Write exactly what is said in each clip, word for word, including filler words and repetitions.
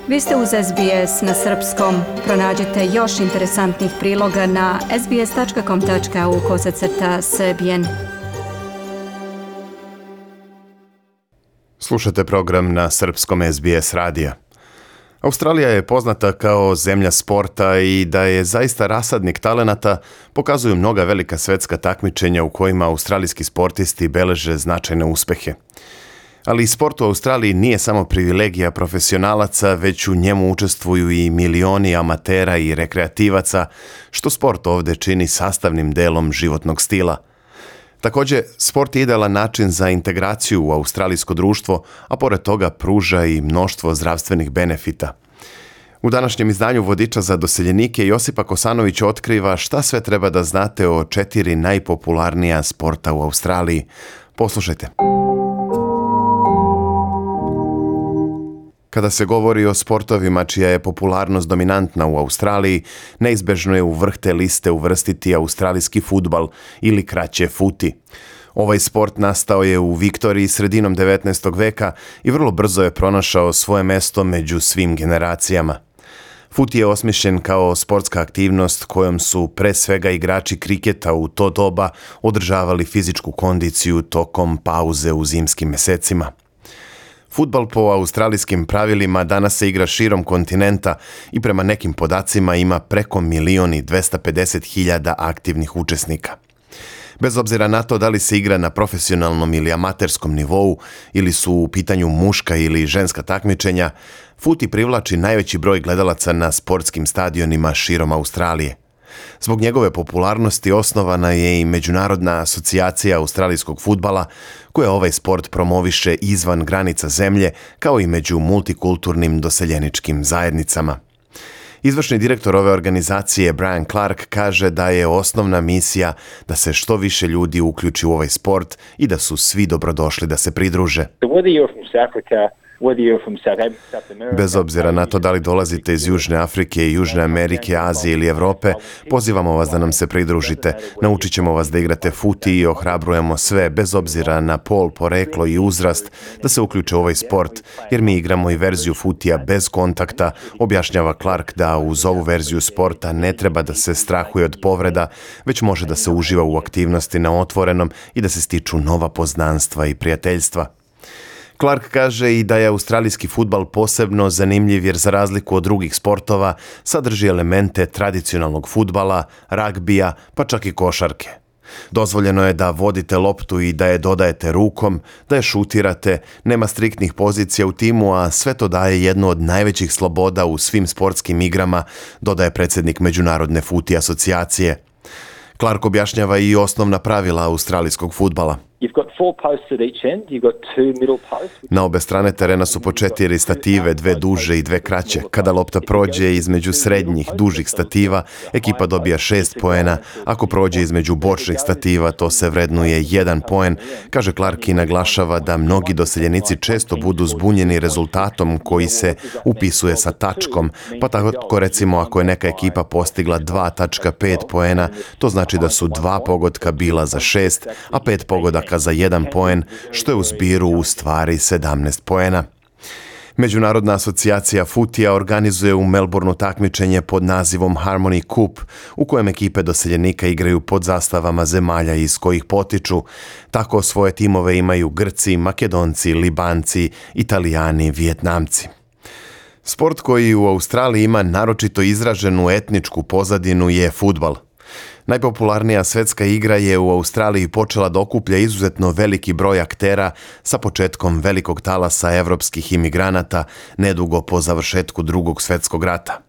Vi ste uz S B S na srpskom. Pronađite još interesantnih priloga na sbs.com.au kosacrta srbijen. Slušate program na srpskom S B S radija. Australija je poznata kao zemlja sporta i da je zaista rasadnik talenata pokazuju mnoga velika svetska takmičenja u kojima australijski sportisti beleže značajne uspehe. Ali sport u Australiji nije samo privilegija profesionalaca, već u njemu učestvuju i milioni amatera i rekreativaca, što sport ovdje čini sastavnim delom životnog stila. Također, sport je idealan način za integraciju u australijsko društvo, a pored toga pruža i mnoštvo zdravstvenih benefita. U današnjem izdanju vodiča za doseljenike Josipa Kosanović otkriva šta sve treba da znate o četiri najpopularnija sporta u Australiji. Poslušajte. Kada se govori o sportovima čija je popularnost dominantna u Australiji, neizbežno je u vrh te liste uvrstiti australijski fudbal ili kraće futi. Ovaj sport nastao je u Viktoriji sredinom devetnaestog veka i vrlo brzo je pronašao svoje mesto među svim generacijama. Fut je osmišljen kao sportska aktivnost kojom su pre svega igrači kriketa u to doba održavali fizičku kondiciju tokom pauze u zimskim mesecima. Fudbal po australijskim pravilima danas se igra širom kontinenta i prema nekim podacima ima preko milion i dvesta pedeset hiljada aktivnih učesnika. Bez obzira na to da li se igra na profesionalnom ili amaterskom nivou ili su u pitanju muška ili ženska takmičenja, futi privlači najveći broj gledalaca na sportskim stadionima širom Australije. Zbog njegove popularnosti osnovana je i Međunarodna asocijacija australijskog fudbala, koja ovaj sport promoviše izvan granica zemlje, kao i među multikulturnim doseljeničkim zajednicama. Izvršni direktor ove organizacije Brian Clark kaže da je osnovna misija da se što više ljudi uključi u ovaj sport i da su svi dobrodošli da se pridruže. Bez obzira na to da li dolazite iz Južne Afrike, Južne Amerike, Azije ili Evrope, pozivamo vas da nam se pridružite. Naučit ćemo vas da igrate futi i ohrabrujemo sve, bez obzira na pol, poreklo i uzrast, da se uključe u ovaj sport, jer mi igramo i verziju futija bez kontakta, objašnjava Clark da uz ovu verziju sporta ne treba da se strahuje od povreda, već može da se uživa u aktivnosti na otvorenom i da se stiču nova poznanstva i prijateljstva. Clark kaže i da je australijski fudbal posebno zanimljiv jer za razliku od drugih sportova sadrži elemente tradicionalnog fudbala, ragbija, pa čak i košarke. Dozvoljeno je da vodite loptu i da je dodajete rukom, da je šutirate, nema striktnih pozicija u timu, a sve to daje jednu od najvećih sloboda u svim sportskim igrama, dodaje predsjednik Međunarodne futi asocijacije. Clark objašnjava i osnovna pravila australijskog fudbala. Na obe strane terena su po četiri stative, dve duže i dve kraće. Kada lopta prođe između srednjih, dužih stativa, ekipa dobija šest poena. Ako prođe između bočnih stativa, to se vrednuje jedan poen, kaže Clark i naglašava da mnogi doseljenici često budu zbunjeni rezultatom koji se upisuje sa tačkom, pa tako recimo ako je neka ekipa postigla dva tačka pet poena, to znači da su dva pogotka bila za šest, a pet pogodaka za jedan poen, što je u zbiru u stvari sedamnaest poena. Međunarodna asocijacija futija organizuje u Melbourneu takmičenje pod nazivom Harmony Cup, u kojem ekipe doseljenika igraju pod zastavama zemalja iz kojih potiču. Tako svoje timove imaju Grci, Makedonci, Libanci, Italijani, Vijetnamci. Sport koji u Australiji ima naročito izraženu etničku pozadinu je fudbal. Najpopularnija svetska igra je u Australiji počela da okuplja izuzetno veliki broj aktera sa početkom velikog talasa evropskih imigranata nedugo po završetku Drugog svjetskog rata.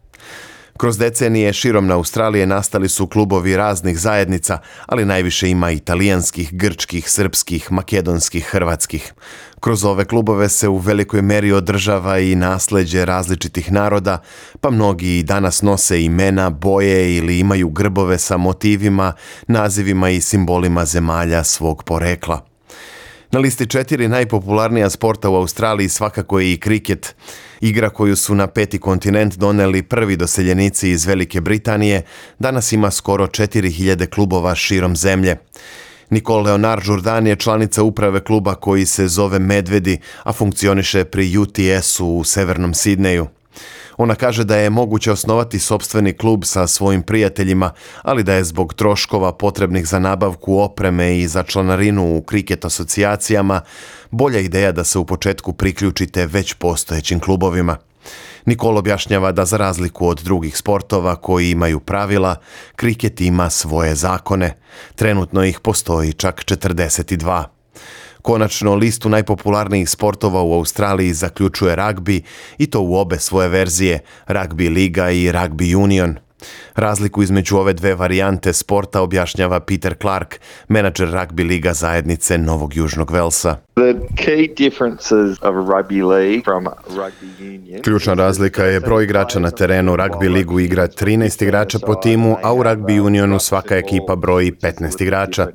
Kroz decenije širom na Australije nastali su klubovi raznih zajednica, ali najviše ima italijanskih, grčkih, srpskih, makedonskih, hrvatskih. Kroz ove klubove se u velikoj meri održava i nasleđe različitih naroda, pa mnogi i danas nose imena, boje ili imaju grbove sa motivima, nazivima i simbolima zemalja svog porekla. Na listi četiri najpopularnija sporta u Australiji svakako je i kriket. Igra koju su na peti kontinent doneli prvi doseljenici iz Velike Britanije, danas ima skoro četiri hiljade klubova širom zemlje. Nicole Leonard-Jourdan je članica uprave kluba koji se zove Medvedi, a funkcioniše pri U T S-u u severnom Sidneju. Ona kaže da je moguće osnovati sopstveni klub sa svojim prijateljima, ali da je zbog troškova potrebnih za nabavku opreme i za članarinu u kriket asocijacijama bolja ideja da se u početku priključite već postojećim klubovima. Nicole objašnjava da za razliku od drugih sportova koji imaju pravila, kriket ima svoje zakone. Trenutno ih postoji čak četrdeset dva. Konačno, listu najpopularnijih sportova u Australiji zaključuje ragbi i to u obe svoje verzije, ragbi liga i ragbi union. Razliku između ove dve varijante sporta objašnjava Peter Clark, menadžer ragbi liga zajednice Novog Južnog Velsa. Ključna razlika je broj igrača na terenu. Ragbi ligu igra trinaest igrača po timu, a u ragbi unionu svaka ekipa broji petnaest igrača.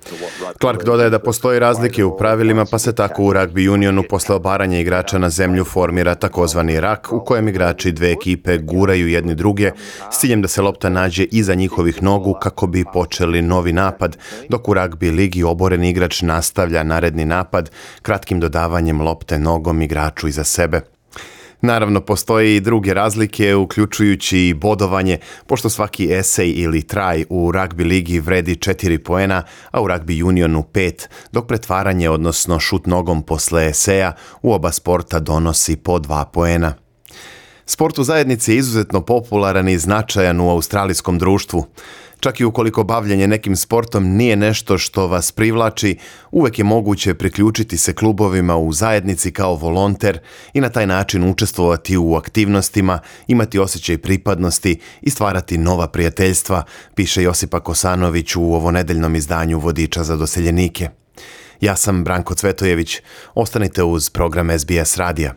Clark dodaje da postoji razlike u pravilima, pa se tako u ragbi unionu posle obaranja igrača na zemlju formira takozvani rak, u kojem igrači dve ekipe guraju jedni druge s ciljem da se lopta nađe iza njihovih nogu kako bi počeli novi napad, dok u ragbi ligi oboreni igrač nastavlja naredni napad kratkim dodavanjem lopte nogom igraču iza sebe. Naravno, postoje i druge razlike, uključujući i bodovanje, pošto svaki esej ili try u ragbi ligi vredi četiri poena, a u ragbi unionu pet, dok pretvaranje, odnosno šut nogom posle eseja, u oba sporta donosi po dva poena. Sport u zajednici je izuzetno popularan i značajan u australijskom društvu. Čak i ukoliko bavljenje nekim sportom nije nešto što vas privlači, uvek je moguće priključiti se klubovima u zajednici kao volonter i na taj način učestvovati u aktivnostima, imati osjećaj pripadnosti i stvarati nova prijateljstva, piše Josipa Kosanović u ovonedeljnom izdanju Vodiča za doseljenike. Ja sam Branko Cvetojević. Ostanite uz program S B S radija.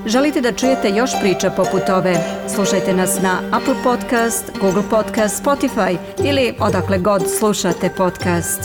Želite da čujete još priča poput ove? Slušajte nas na Apple Podcast, Google Podcast, Spotify ili odakle god slušate podcast.